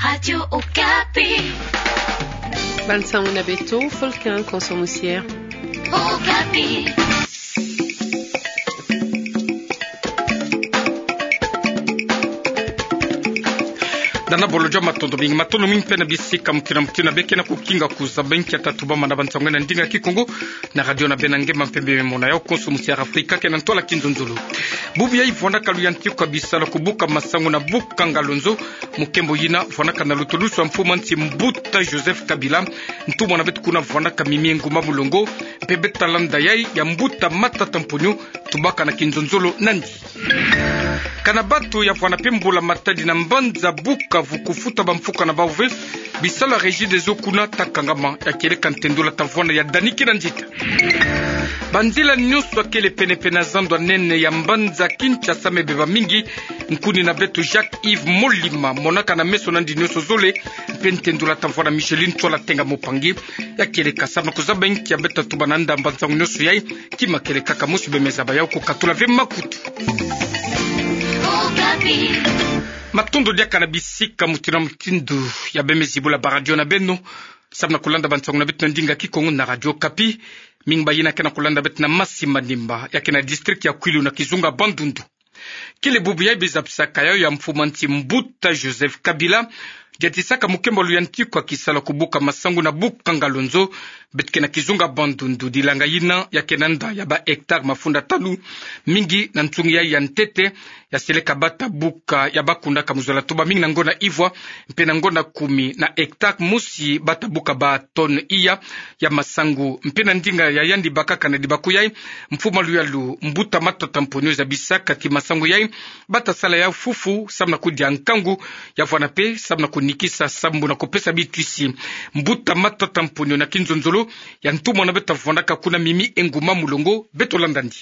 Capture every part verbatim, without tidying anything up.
Radio Okapi. Bansango na beto, Fulkin Konso Musiere. Okapi. Dana bolo jo matondo mingi, matondo mingi mpe na bisika mokili na mokili na beke na kukinga kuzaba nkia tatu bama na bansango na ndinga Kikongo, na radio na beno ngemba mpe bemona ya Konso Musiere Afrika ke na ntwala kinzonzolo. Bubu yayi vwanaka luyantiku ya bisalu ya kubuka masangu na bukanga lonzo, mokembo yina vwanaka na lutulusu ya mfumu a nsi Mbuta Joseph Kabila, ntumwa na beto kuna vwanaka Mimi Nguma Mulongo, mpe beta landa yayi ya Mbuta Matata Mponyo, tubaka na kinzonzolo nandi. Kana bato ya vwana mpe mbula matadi na mbanza Bukavu kufuta bamfuka na bawu ve, bisalu ya Regideso kuna ta kangama, ya kieleka ntendula ta vwana ya Dani Kinanzita. Banzila nyonso ya kele penepene na zando ya nene ya mbanza Kinshasa me beba mingi. Nkuni na beto Jacques Yves Molima monaka na meso nandi nyonso zole, mpe ntendula ta vwana Micheline Tsola Tenga Mopangi, ya kieleka samu na kuzaba nkia beta tuba na ndambu ya nsangu nyonso yayi. Kima kele kaka mosi, beno me zaba yawu kukatula ve makutu. Matondo diaka na bisika mutindu na mutindu ya beno me zibula baradio na beno samu na kulanda bansangu na beto na ndinga Kikongo na Radio Okapi. Mingi bayina ke na kulanda beto na Masi Manimba, ya ke na district ya Kwilu na kizunga Bandundu. Kele bubu yayi bezabisaka yawu ya mfumu a nsi Mbuta Joseph Kabila, diatisaka mokembo ya luyantiku ya kisalu ya kubuka masangu na bukanga lonzo. Beto ke na kizunga Bandundu, dilanga yina ya ke na nda ya ba hectare mafunda tanu. Mingi na nsungi yayi ya ntete, ya seleka bata buka, ya bakundaka mu zola tuba mingi na ngonda ivwa mpe na ngonda kumi na hectare mosi bata buka ba tonne iya ya masangu. Mpe na ndinga ya yandi bakaka na dibaku yayi, mfumu a luyalu Mbuta Matata Mponyo zabisaka ti masangu yayi bata sala yawu fufu samu na kudia nkangu, ya vwana mpe samu na kunikisa sambu na kupesa bitwisi. Mbuta Matata Mponyo na kinzonzolo ya ntumwa na beto vwandaka kuna Mimi Nguma Mulongo, beto landa ndi.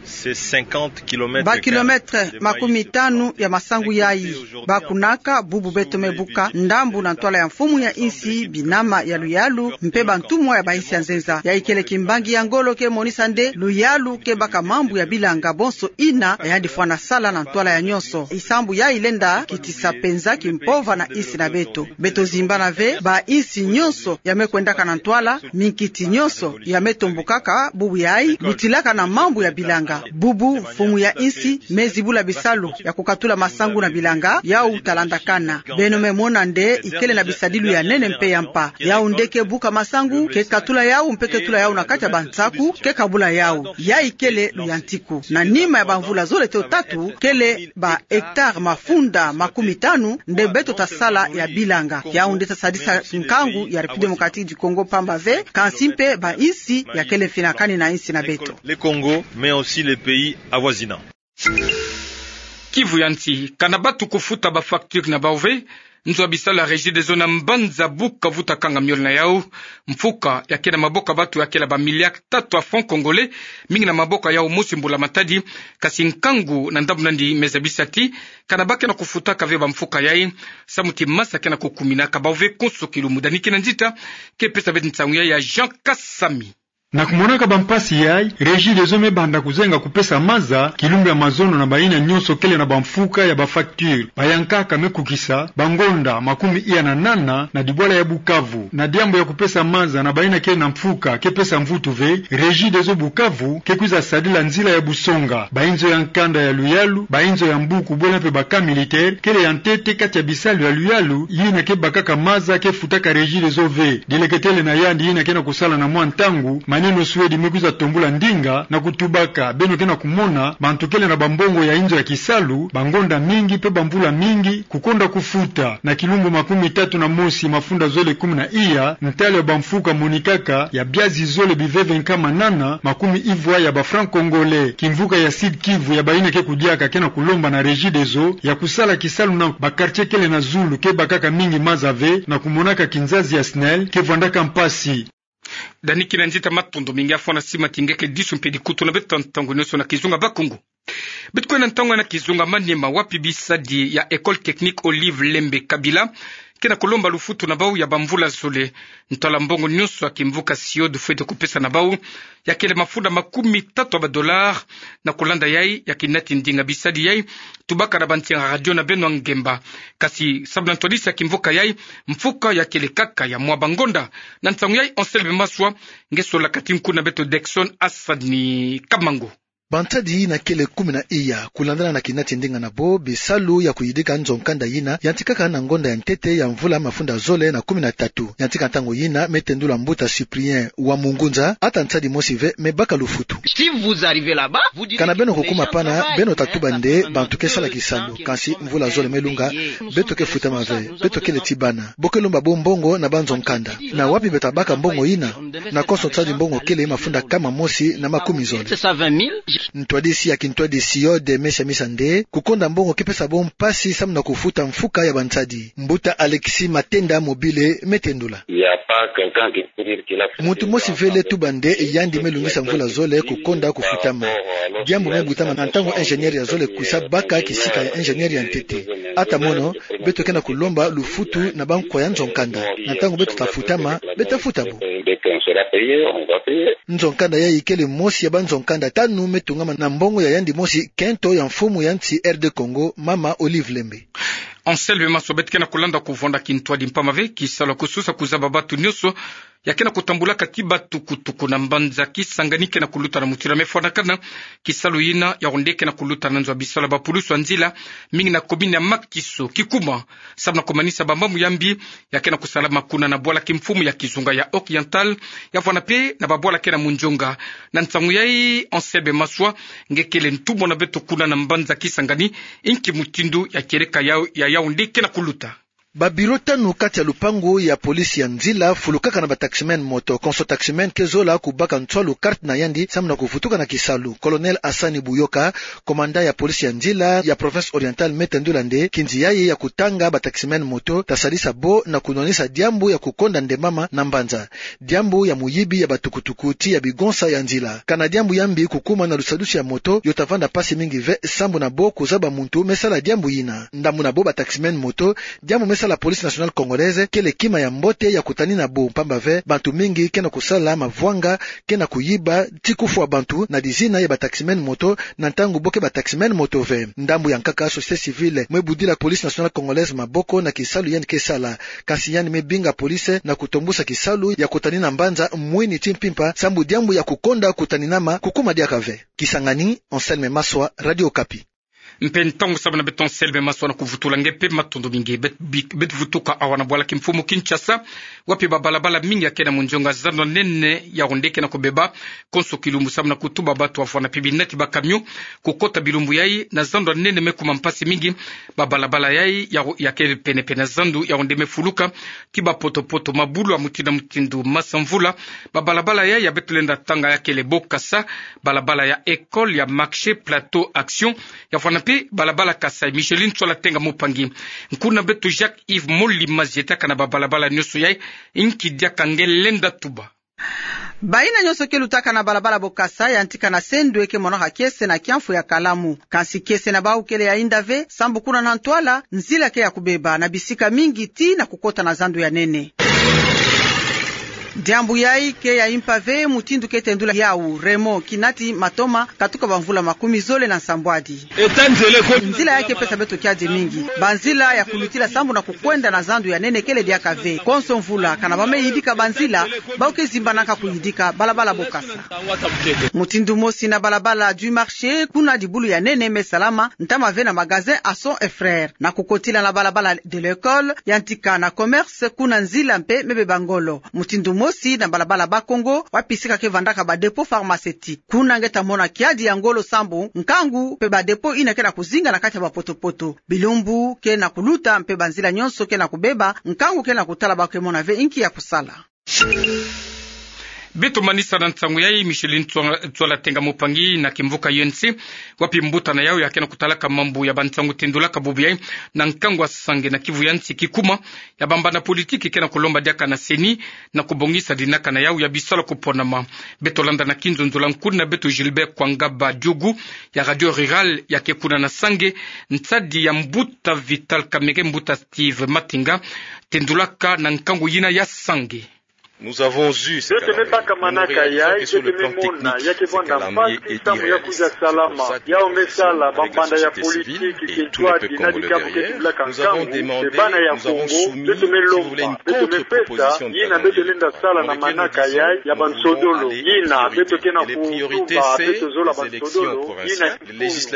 C'est cinquante kilomètres. Ba kilomètres makumi tanu ya masangu yayi bakunaka. Bubu beto me buka ndambu na ntwala ya mfumu ya insi, binama ya luyalu mpe bantumwa ya ba insi ya nzenza. Yayi kele kimbangi ya ngolo ke monisa nde luyalu ke baka mambu ya bilanga bonso yina ya yandi fwana sala na ntwala ya nyonso. Isambu yayi lenda kitisa penza kimpova na insi na beto. Beto zimbana ve ba insi nyonso ya me kwendaka na ntwala, minkiti nyonso ya me tombokaka bubu yayi, lutilaka na mambu ya bilanga. Bubu mfumu ya insi me zibula bisalu ya kukatula masangu na bilanga, yawu ta landakana. Beno me mona nde ikele na bisadilu ya nene mpe ya mpa. Yawu nde ke buka masangu, ke katula yawu mpe ke tula yawu na kati ya bansaku, ke kabula yawu. Yayi kele luyantiku. Na nima ya bamvula zole to tatu, kele ba hectare mafunda makumi tanu nde beto ta sala ya bilanga. Yawu nde ta sadisa nkangu ya République Démocratique du Congo mpamba ve, kansi mpe ba insi ya kele mfinakani na insi na beto. Le Congo, mais aussi les pays avoisinants. Kivu ya nsi, kana bato kufuta ba facture na bawu ve, nzo ya bisalu ya Regideso na mbanza Bukavu ta kanga miole na yawu. Mfuka ya ke na maboko ya bato ya kele ba milliards tatu ya francs congolais, mingi na maboko ya yawu mosi mbula matadi. Kasi nkangu na ndambu nandi me zabisa ti kana ba ke na kufutaka ve bamfuka yayi, samu ti maza ke na kukuminaka bawu ve konso kilumbu. Dani Kinanzita ke pesa beto nsangu yayi ya Jean Kasami. Na kumonaka bampasi yayi, Regideso me banda kuzenga kupesa maza kilumbu ya mazono na bayina nyonso kele na bamfuka ya ba facture. Bayankaka me kukisa bangonda makumi iya na nana na dibwala ya Bukavu. Na diambu ya kupesa maza na bayina kele na mfuka ke pesa mvutu ve, Regideso Bukavu ke kwiza sadila nzila ya busonga. Bayinzo ya nkanda ya luyalu, bayinzo ya mbuku, bwela mpe ba camp militaire, kele ya ntete kati ya bisalu ya luyalu yina ke bakaka maza ke futaka Regideso ve. Dileketele na yandi yina ke na kusala na mwa ntangu, Maneno Suedi me kwiza tombula ndinga na kutubaka: beno ke na kumona, bantu kele na bambongo ya inzo ya kisalu bangonda mingi mpe bamvula mingi kukonda kufuta. Na kilumbu makumi tatu na mosi mafunda zole kumi na iya, ntalu ya bamfuka monikaka ya biazi zole biveve nkama nana makumi ivwa ya ba francs congolais. Kimvuka ya Sud-Kivu ya bayina ke kudiaka ke na kulomba na Regideso ya kusala kisalu na ba quartier kele na zulu ke bakaka mingi maza ve, na kumonaka kinzazi ya SNEL ke vwandaka mpasi. Dani Kinanzita, matondo mingi. Afwa na sima ti nge ke disu mpe dikutu na beto ntangu nyonso na kizunga Bakongo. Beto kwenda ntangu na kizunga Maniema, wapi bisadi ya École Technique Olive Lembe Kabila ke na kulomba lufutu na bau ya bamvula zole. Ntwala mbongo nyonso ya kimvuka SIOD fwete kupesa na bau, ya kele mafunda makumi tatu ya badollars. Na kulanda yai, ya kinati ndinga bisadi yai tubaka na bantinga radio na beno ngemba. Kasi sabu na ntwadisi ya kimvuka yai, mfuka ya kele kaka ya mwa bangonda. Na ntangu yai, Anselme Maswa nge sola kati nku na beto Dexon Asani Kamango. Bansadi yina kele kumi na iya, kulandana na kinati ndinga na bo, bisalu ya kuyidika nzo nkanda yina yantikaka na ngonda ya ntete ya mvula mafunda zole na kumi na tatu. Yantika ntangu yina, me tendula mbuta Cyprien wa Mungunza, ata nsadi mosi ve me baka lufutu. Kana beno kukuma pana, beno tatuba nde bantu ke sala kisalu, kansi mvula zole me lunga, beto ke futama ve, beto kele ti bana. Bo ke lomba bo mbongo na banzo nkanda. Na wapi beto tabaka mbongo yina? Na konso nsadi mbongo kele mafunda kama mosi na makumi zole. Ntwadisi ya kintwadi SIOD me siamisa nde kukonda mbongo ke pesa bo mpasi samu na kufuta mfuka ya bansadi. Mbuta Alexis Matenda Mobile me tendula. Muntu mosi ve le tuba nde yandi me lungisa mvula zole kukonda kufutama. Diambu me butama na ntangu ingénieur ya zole kwisa baka kisika ya ingénieur ya ntete. Ata mono, beto ke na kulomba lufutu na bankwa ya nzo nkanda. Na ntangu beto tafutama, beta futa bo. Nzo nkanda yai kele mosi ya banzo nkanda tanu me tungama na mbongo ya yandi mosi kento ya mfumu ya nsi R D Congo, mama Olive Lembe. Anselme Maswa. Beto ke na kulanda kuvwanda kintwadi mpamba ve kisalu ya kusosa kuzaba bantu nyonso ya ke na kutambulaka ti batukutuku na mbanza Kisangani ke na kuluta na mutindu ya me fwanakana. Kisalu yina ya onde ke na kuluta na nzo ya bisalu ya bapulusu ya nzila, mingi na commune ya Makiso. Kikuma, samu na kumanisa bamambu ya mbi ya ke na kusalama kuna na bwala kimfumu ya kizunga ya Oriental, ya vwanda mpe na babwala ke na munzonga. Na ntangu yai, Anselme Maswa nge kele ntumwa na beto kuna na mbanza Kisangani, inki mutindu ya kieleka ya, ya Yaoundé ke na kuluta? Ba bureau tanu kati ya lupangu ya police ya nzila fulukaka na ba taximen moto. Konso taximen ke zola kubaka nswalu carte na yandi samu na kuvutuka na kisalu. Colonel Hassani Buyoka, commandant ya police ya nzila ya province orientale, me tendula nde kinzi yayi ya kutanga ba taximen moto tasalisa bo na kunwanisa diambu ya kukonda ndembama na mbanza. Diambu ya muyibi ya batukutuku ti ya bigonsa ya nzila. Kana diambu ya mbi kukuma na lusadusi ya moto, yo tavanda mpasi mingi ve sambu na bo kuzaba muntu me sala diambu yina. Ndambu na bo ba taximen moto, diambu me sala Police Nationale Congolaise kele kima ya mbote ya kutanina bo, mpamba ve bantu mingi ke na kusala mavwanga, ke na kuyiba, ti kufwa bantu na dizina ya ba taximen moto, na ntangu bo ke ba taximen moto ve. Ndambu ya nkaka, société civile me budila Police Nationale Congolaise maboko na kisalu yandi ke sala. Kansi yandi me binga police na kutombusa kisalu ya kutanina mbanza mwini ti mpimpa, sambu diambu ya kukonda kutaninama kukuma diaka ve. Kisangani, Anselme Maswa, Radio Okapi. Mpe ntangu sabi na beto Anselme Maswa na kuvutula nge mpe matondo mingi. Bet-, bi-, beto vutuka awa na bwala kimfumu Kinshasa, wapi ba balabala mingi ya ke na munzonga, zando ya nene ya Yaoundé ke na kubeba konso kilumbu, samu na kutuba bantu ya vwanda mpe binati ba camion kukota bilumbu yayi na zando ya nene. Me kuma mpasi mingi, ba balabala yayi ya, ya ke pene-pene na zando ya Yaoundé me fuluka ti ba poto-poto, mabulu ya mutindu na mutindu, masa mvula. Ba balabala yayi ya beto lenda tanga ya kele Bokassa, balabala ya École, ya Marché, Plateau, Action, ya vwanda mpe balabala Kasaï. Micheline Tsola Tenga Mupangi. Nkuna beto Jacques Yves Moli Mazieta, kana ba balabala nyonso yayi, inki diaka nge lenda tuba? Bayina nyonso ke lutaka na balabala Bokassa, yantika na sendwe ke monaka kiese na kiamfu ya kalamu. Kansi kiese na bau kele ya inda ve, sambu kuna na ntwala, nzila ke ya kubeba na bisika mingi ti na kukota na zando ya nene. Diambu yayi ke ya impa ve, mutindu ke tendula yawu, Raymond, kinati matoma katuka bamvula makumi zole na nsambwadi. Nzila yayi ke pesa beto kiadi mingi. Banzila ya kulutila sambu na kukwenda na zando ya nene kele diaka ve. Konso mvula, kana ba me yidika banzila, bau ke zimbanaka kuyidika balabala Bokassa. Mutindu mosi na balabala du Marché, kuna dibulu ya nene me salama, ntama ve na magasin Asson et Frères. Na kukotila na balabala de l'École, yantika na Commerce, kuna nzila mpe me beba ngolo. Mutindu mosi na balabala Bas-Congo, wapi sika ke vandaka ba dépôt pharmaceutique. Kuna nge ta mona kiadi ya ngolo sambu nkangu mpe ba dépôt yina ke na kuzinga na kati ya ba poto-poto. Bilumbu ke na kuluta mpe banzila nyonso ke na kubeba, nkangu ke na kutala, bau ke mona ve inki ya kusala. Beto manisa na nsangu yai, Micheline Tsua-, Tsuala Tenga Mupangi na kimvuka U N C, wapi mbuta na yau ya ke na kutalaka mambu ya bansangu tendulaka bubu yai na nkangu a Sange na Kivu ya Nsi, kikuma ya bambanda politiki ke na kulomba diaka na CENI na kubongisa dinaka na yau ya bisalu ya kuponama. Beto landa na kinzonzolo nkuna beto Gilbert Kwangaba Diougou ya Radio Rurale ya ke kuna na Sange, nsadi ya mbuta Vital Kamerhe, mbuta Steve Matenga, tendulaka na nkangu yina ya Sange. Nous avons eu cette Beto me baka manaka yai, beto me mona ya ke vwanda mpasi samu ya kwiza salama. Yau me sala bambanda ya politiki ke ntwadi na dikabo ke tendulaka nkangu, mpe bana ya Kongo, beto me lomba, beto me pesa yina beto lenda sala na manaka yai ya bansodolo, yina beto ke na kutuba beto zola bansodolo, yina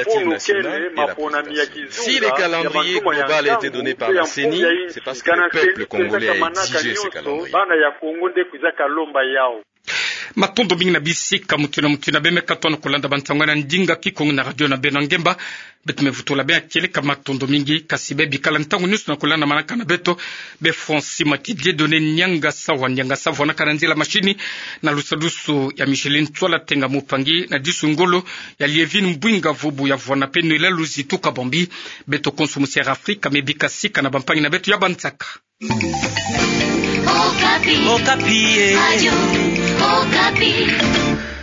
mfunu kene maponami ya kizunga ya mantuma ya nkangu mpe ya mfumu ya insi. Kana CENI pesaka manaka nyonso, bana ya Kongo nde kwizaka lomba yau. Matondo mingi na bisika mutu na mutu yina beno me katuka na kulanda bansangu na ndinga Kikongo na radio na beno ngemba. Beto me vutula beno kieleka matondo mingi, kasi beno bikala ntangu nyonso na kulanda manaka na beto. Beno Francis Mati, Dieudonné Nianga Sawa, Nianga Sawa na kana nzila mashini, na lusadusu ya Micheline Tsuala Tenga Mupangi, na disu ngolo ya Lievine Mbwinga Vubu ya vwanda mpe Noëlla Luzitu Kabambi. Beto konso musi Air Afrika me bika sika na bampangi na beto ya bansaka. Okapi. Okapi, eh. Radio Okapi.